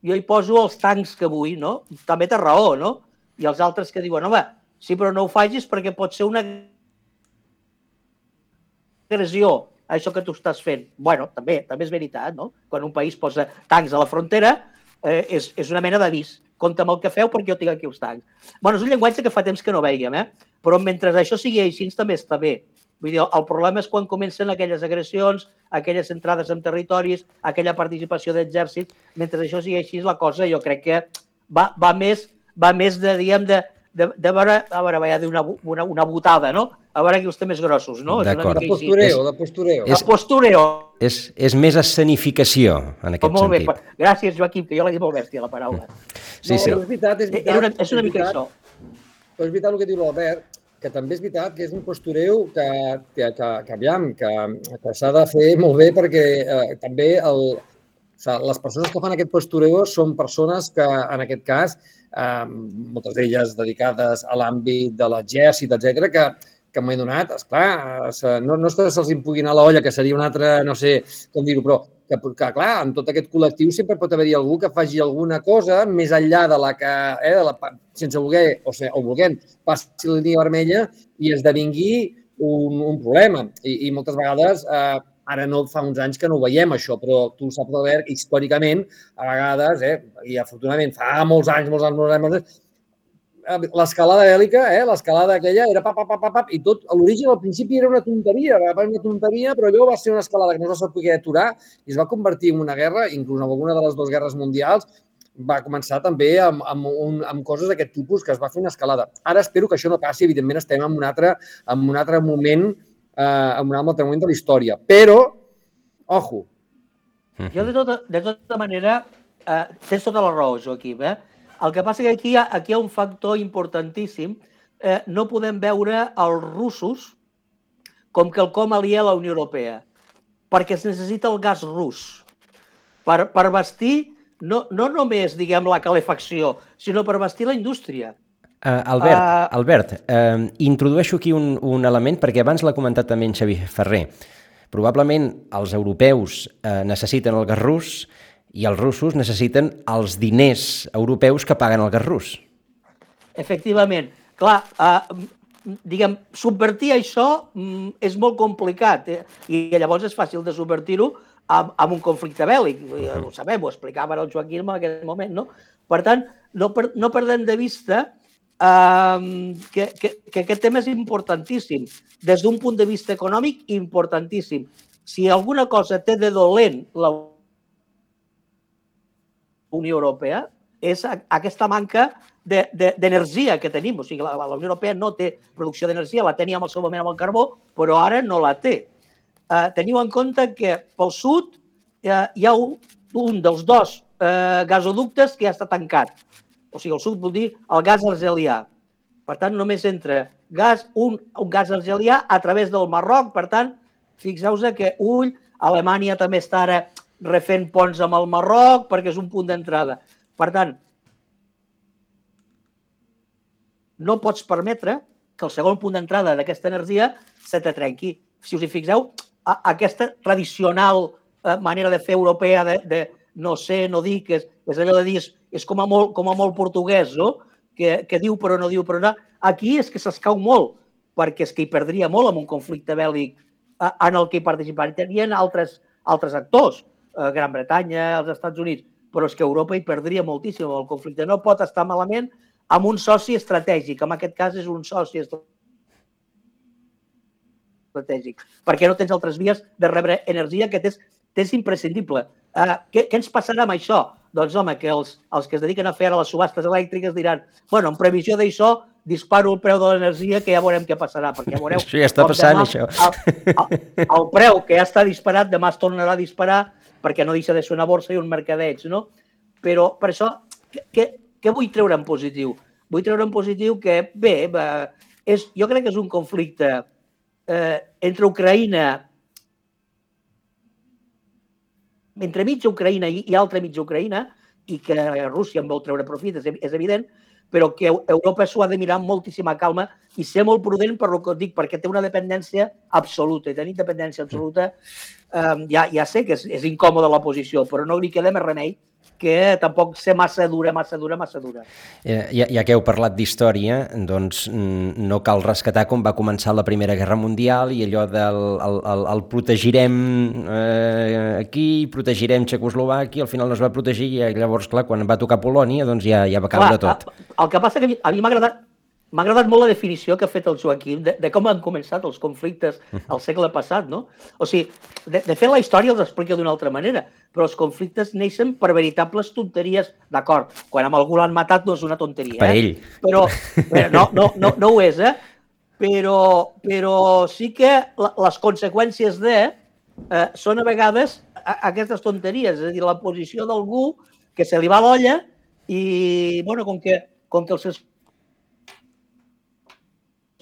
jo hi poso els tancs que vull, no? També té raó, no? I els altres que diuen, home, sí, però no ho facis perquè pot ser una agressió, això que tu estàs fent. Bueno, també és veritat, no? Quan un país posa tancs a la frontera, és una mena d'avís. Compte amb el que feu perquè jo tinc aquí els tancs. Bueno, és un llenguatge que fa temps que no veiem, però mentre això sigui així també està bé. Vull dir, el problema és quan comencen aquelles agressions, aquelles entrades en territoris, aquella participació d'exèrcits. Mentre això sigui així, la cosa jo crec que va més de, diguem, de veure, vaig dir una botada, no? A veure qui els té més grossos, no? D'acord. De postureo. De postureo. És més escenificació, en aquest sentit. Molt bé. Gràcies, Joaquim, que jo l'he dit molt bèstia, la paraula. Sí. És veritat. És una mica això. Però és veritat el que diu l'Albert, que també és veritat que és un postureo que s'ha de fer molt bé perquè també les persones que fan aquest postureo són persones que, en aquest cas, moltes d'elles dedicades a l'àmbit de l'exèrcit, etcètera, que m'he donat, esclar, no és que se'ls pugui anar a l'olla, que seria un altre, no sé com dir-ho, però que, clar, en tot aquest col·lectiu sempre pot haver-hi algú que faci alguna cosa més enllà de la que, sense voler o volent, passi la línia vermella i esdevingui un problema. I moltes vegades, ara no fa uns anys que no ho veiem, això, però tu saps, Albert, històricament, a vegades, i afortunadament fa molts anys, l'escalada bèl·lica, l'escalada aquella, era pap, i tot, a l'origen, al principi era una tonteria, però allò va ser una escalada que no es va poder aturar i es va convertir en una guerra, inclús en alguna de les dues guerres mundials, va començar també amb coses d'aquest tipus que es va fer una escalada. Ara espero que això no passi, evidentment estem en un altre moment, en un altre moment de la història, però, ojo. Jo, de tota manera, tens tota la raó, Joaquim, El que passa que aquí hi ha un factor importantíssim. No podem veure els russos com quelcom aliè a la Unió Europea, perquè es necessita el gas rus per vestir no només, diguem, la calefacció, sinó per vestir la indústria. Albert, introdueixo aquí un element, perquè abans l'ha comentat també en Xavier Ferrer. Probablement els europeus necessiten el gas rus i els russos necessiten els diners europeus que paguen el gas rus. Efectivament. Clar, diguem, subvertir això és molt complicat i llavors és fàcil de subvertir-ho amb un conflicte bèl·lic. Ho sabem, ho explicava el Joaquim en aquest moment, no? Per tant, no perdem de vista que aquest tema és importantíssim. Des d'un punt de vista econòmic, importantíssim. Si alguna cosa té de dolent la Unió Europea és aquesta manca d'energia que tenim. O sigui, la Unió Europea no té producció d'energia, la tenia en el seu moment amb el carbó, però ara no la té. Teniu en compte que pel sud hi ha un dels dos gasoductes que ja està tancat. O sigui, el sud vol dir el gas argelià. Per tant, només entra un gas argelià a través del Marroc. Per tant, fixeu-vos que Alemanya també està ara refent ponts amb el Marroc perquè és un punt d'entrada. Per tant, no pots permetre que el segon punt d'entrada d'aquesta energia se te trenqui. Si us hi fixeu, aquesta tradicional manera de fer europea de no sé, no dir, que és allò de dir, és com a molt portuguès, no? Que diu però no diu però no. Aquí és que s'escau molt, perquè és que hi perdria molt en un conflicte bèl·lic en el que hi participaran. Hi ha altres actors, Gran Bretanya, els Estats Units, però és que Europa hi perdria moltíssim el conflicte. No pot estar malament amb un soci estratègic, en aquest cas és un soci estratègic, perquè no tens altres vies de rebre energia que t'és imprescindible. Què ens passarà amb això? Doncs, home, que els que es dediquen a fer ara les subhastes elèctriques diran, bueno, en previsió d'això, disparo el preu de l'energia que ja veurem què passarà, perquè veureu... Això ja està passant, això. El preu que ja està disparat, demà es tornarà a disparar perquè no deixa de ser una borsa i un mercadeig, no? Però per això, què vull treure en positiu? Vull treure en positiu que, bé, jo crec que és un conflicte entre Ucraïna, entre mitja Ucraïna i altra mitja Ucraïna, i que Rússia en vol treure profit, és evident, però que Europa s'ho ha de mirar amb moltíssima calma i ser molt prudent per el que et dic, perquè té una dependència absoluta, i tenir dependència absoluta ja sé que és incòmoda la posició, però no li queda més remei que tampoc ser massa dura. Ja que heu parlat d'història, doncs no cal rescatar com va començar la Primera Guerra Mundial i allò del protegirem aquí, protegirem Txecoslovàquia, al final no es va protegir i llavors, clar, quan va tocar Polònia, doncs ja va caure tot. El que passa que a mi m'ha agradat molt la definició que ha fet el Joaquim de com han començat els conflictes al segle passat, no? O sigui, de fet, la història els explica d'una altra manera, però els conflictes neixen per veritables tonteries, d'acord, quan amb algú l'han matat no és una tonteria, per ell. Però no ho és, però sí que les conseqüències són a vegades aquestes tonteries, és a dir, la posició d'algú que se li va l'olla i, bueno, com que els seus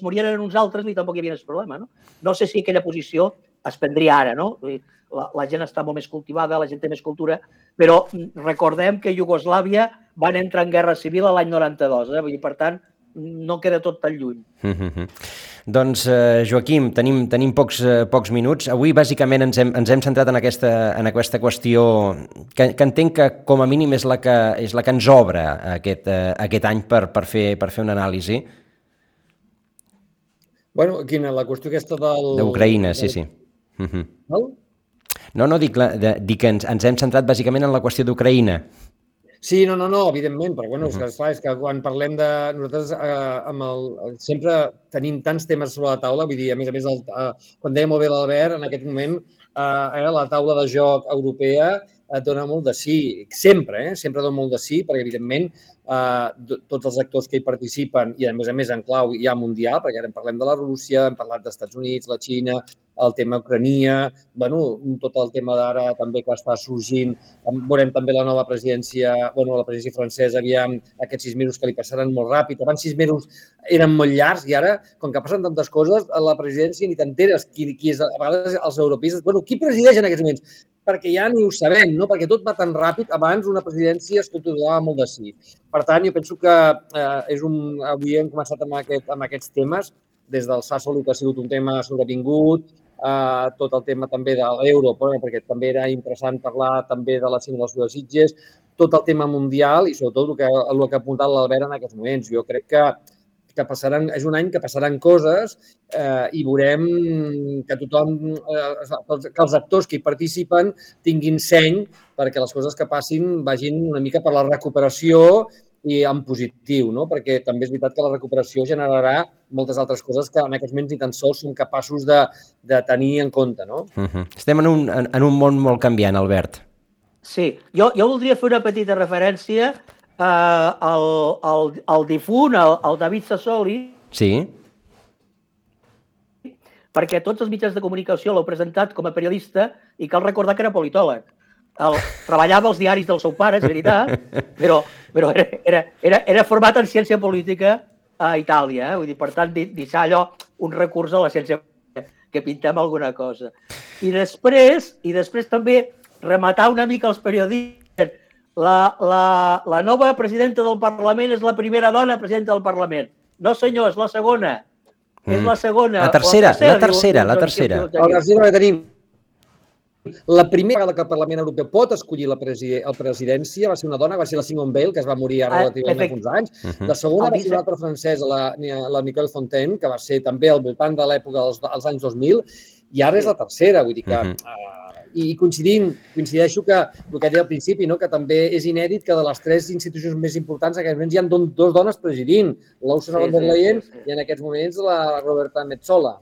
morien uns altres, ni tampoc hi havia aquest problema, no? No sé si aquella posició es prendria ara, no? La gent està molt més cultivada, la gent té més cultura, però recordem que Iugoslàvia van entrar en guerra civil l'any 92, vull dir, per tant, no queda tot tan lluny. Doncs, Joaquim, tenim pocs minuts. Avui, bàsicament, ens hem centrat en aquesta qüestió que entenc que, com a mínim, és la que ens obre aquest any per fer una anàlisi. Bueno, quina, la qüestió aquesta d'Ucraïna, sí. No, dic que ens hem centrat bàsicament en la qüestió d'Ucraïna. Sí, no, evidentment, però bueno, és que quan parlem de... Nosaltres sempre tenim tants temes sobre la taula, vull dir, a més, quan deia molt bé l'Albert, en aquest moment la taula de joc europea et dona molt de sí, sempre dona molt de sí, perquè evidentment tots els actors que hi participen i a més en clau ja mundial, perquè ara en parlem de la Rússia, hem parlat dels Estats Units, la Xina, el tema Ucrania, tot el tema d'ara també que està sorgint, veurem també la nova presidència, la presidència francesa, aviam aquests 6 mesos que li passaran molt ràpid, abans 6 mesos eren molt llargs i ara, com que passen tantes coses, a la presidència ni t'enteres qui és, a vegades els europeistes, qui presideix en aquests moments? Perquè ja ni ho sabem, no? Perquè tot va tan ràpid, abans una presidència es controlava molt de sí. Per tant, jo penso que avui hem començat amb aquests temes, des del Sassoli, que ha sigut un tema sobrevingut, tot el tema també de l'euro, perquè també era interessant parlar també de la simulació de Sitges, tot el tema mundial i sobretot el que ha apuntat l'Albert en aquests moments. Jo crec que és un any que passaran coses i veurem que tothom, que els actors que hi participen tinguin seny perquè les coses que passin vagin una mica per la recuperació i en positiu, no? Perquè també és veritat que la recuperació generarà moltes altres coses que en aquests moments ni tan sols som capaços de tenir en compte, no? Estem en un món molt canviant, Albert. Sí, jo voldria fer una petita referència el difunt, el David Sassoli, sí, perquè tots els mitjans de comunicació l'heu presentat com a periodista i cal recordar que era politòleg. Treballava als diaris del seu pare, és veritat, però era format en ciència política a Itàlia. Vull dir, per tant, deixar allò un recurs a la ciència que pintem alguna cosa. I després també rematar una mica els periodistes. La nova presidenta del Parlament és la primera dona presidenta del Parlament. No, senyor, és la segona. És la segona. La tercera. La tercera que tenim. La primera vegada que el Parlament Europeu pot escollir la presidència va ser una dona, va ser la Simone Veil, que es va morir ara relativament fa uns anys. La segona va ser una altra francesa, la Nicole Fontaine, que va ser també al voltant de l'època dels anys 2000, i ara és la tercera. Vull dir que I coincideixo que el que deia al principi, no? Que també és inèdit que de les 3 institucions més importants en aquests moments hi ha 2 dones presidint, l'Ursula von der Leyen i en aquests moments la Roberta Metsola.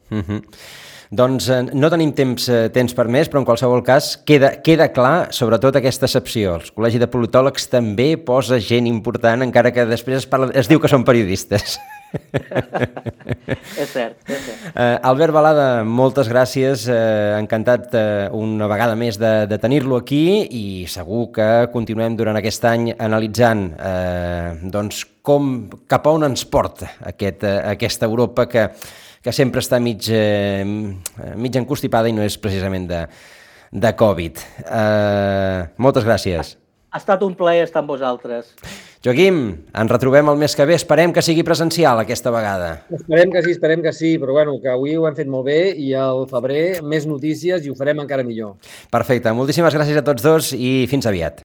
Doncs no tenim temps per més, però en qualsevol cas queda clar, sobretot aquesta excepció. El Col·legi de Politòlegs també posa gent important, encara que després es diu que són periodistes. És cert. Albert Balada, moltes gràcies. Encantat una vegada més de tenir-lo aquí i segur que continuem durant aquest any analitzant doncs cap a on ens porta aquesta Europa que sempre està mig encostipada i no és precisament de Covid. Moltes gràcies. Ha estat un plaer estar amb vosaltres. Joaquim, ens retrobem el mes que ve. Esperem que sigui presencial aquesta vegada. Esperem que sí, però bueno, que avui ho hem fet molt bé i al febrer més notícies i ho farem encara millor. Perfecte. Moltíssimes gràcies a tots dos i fins aviat.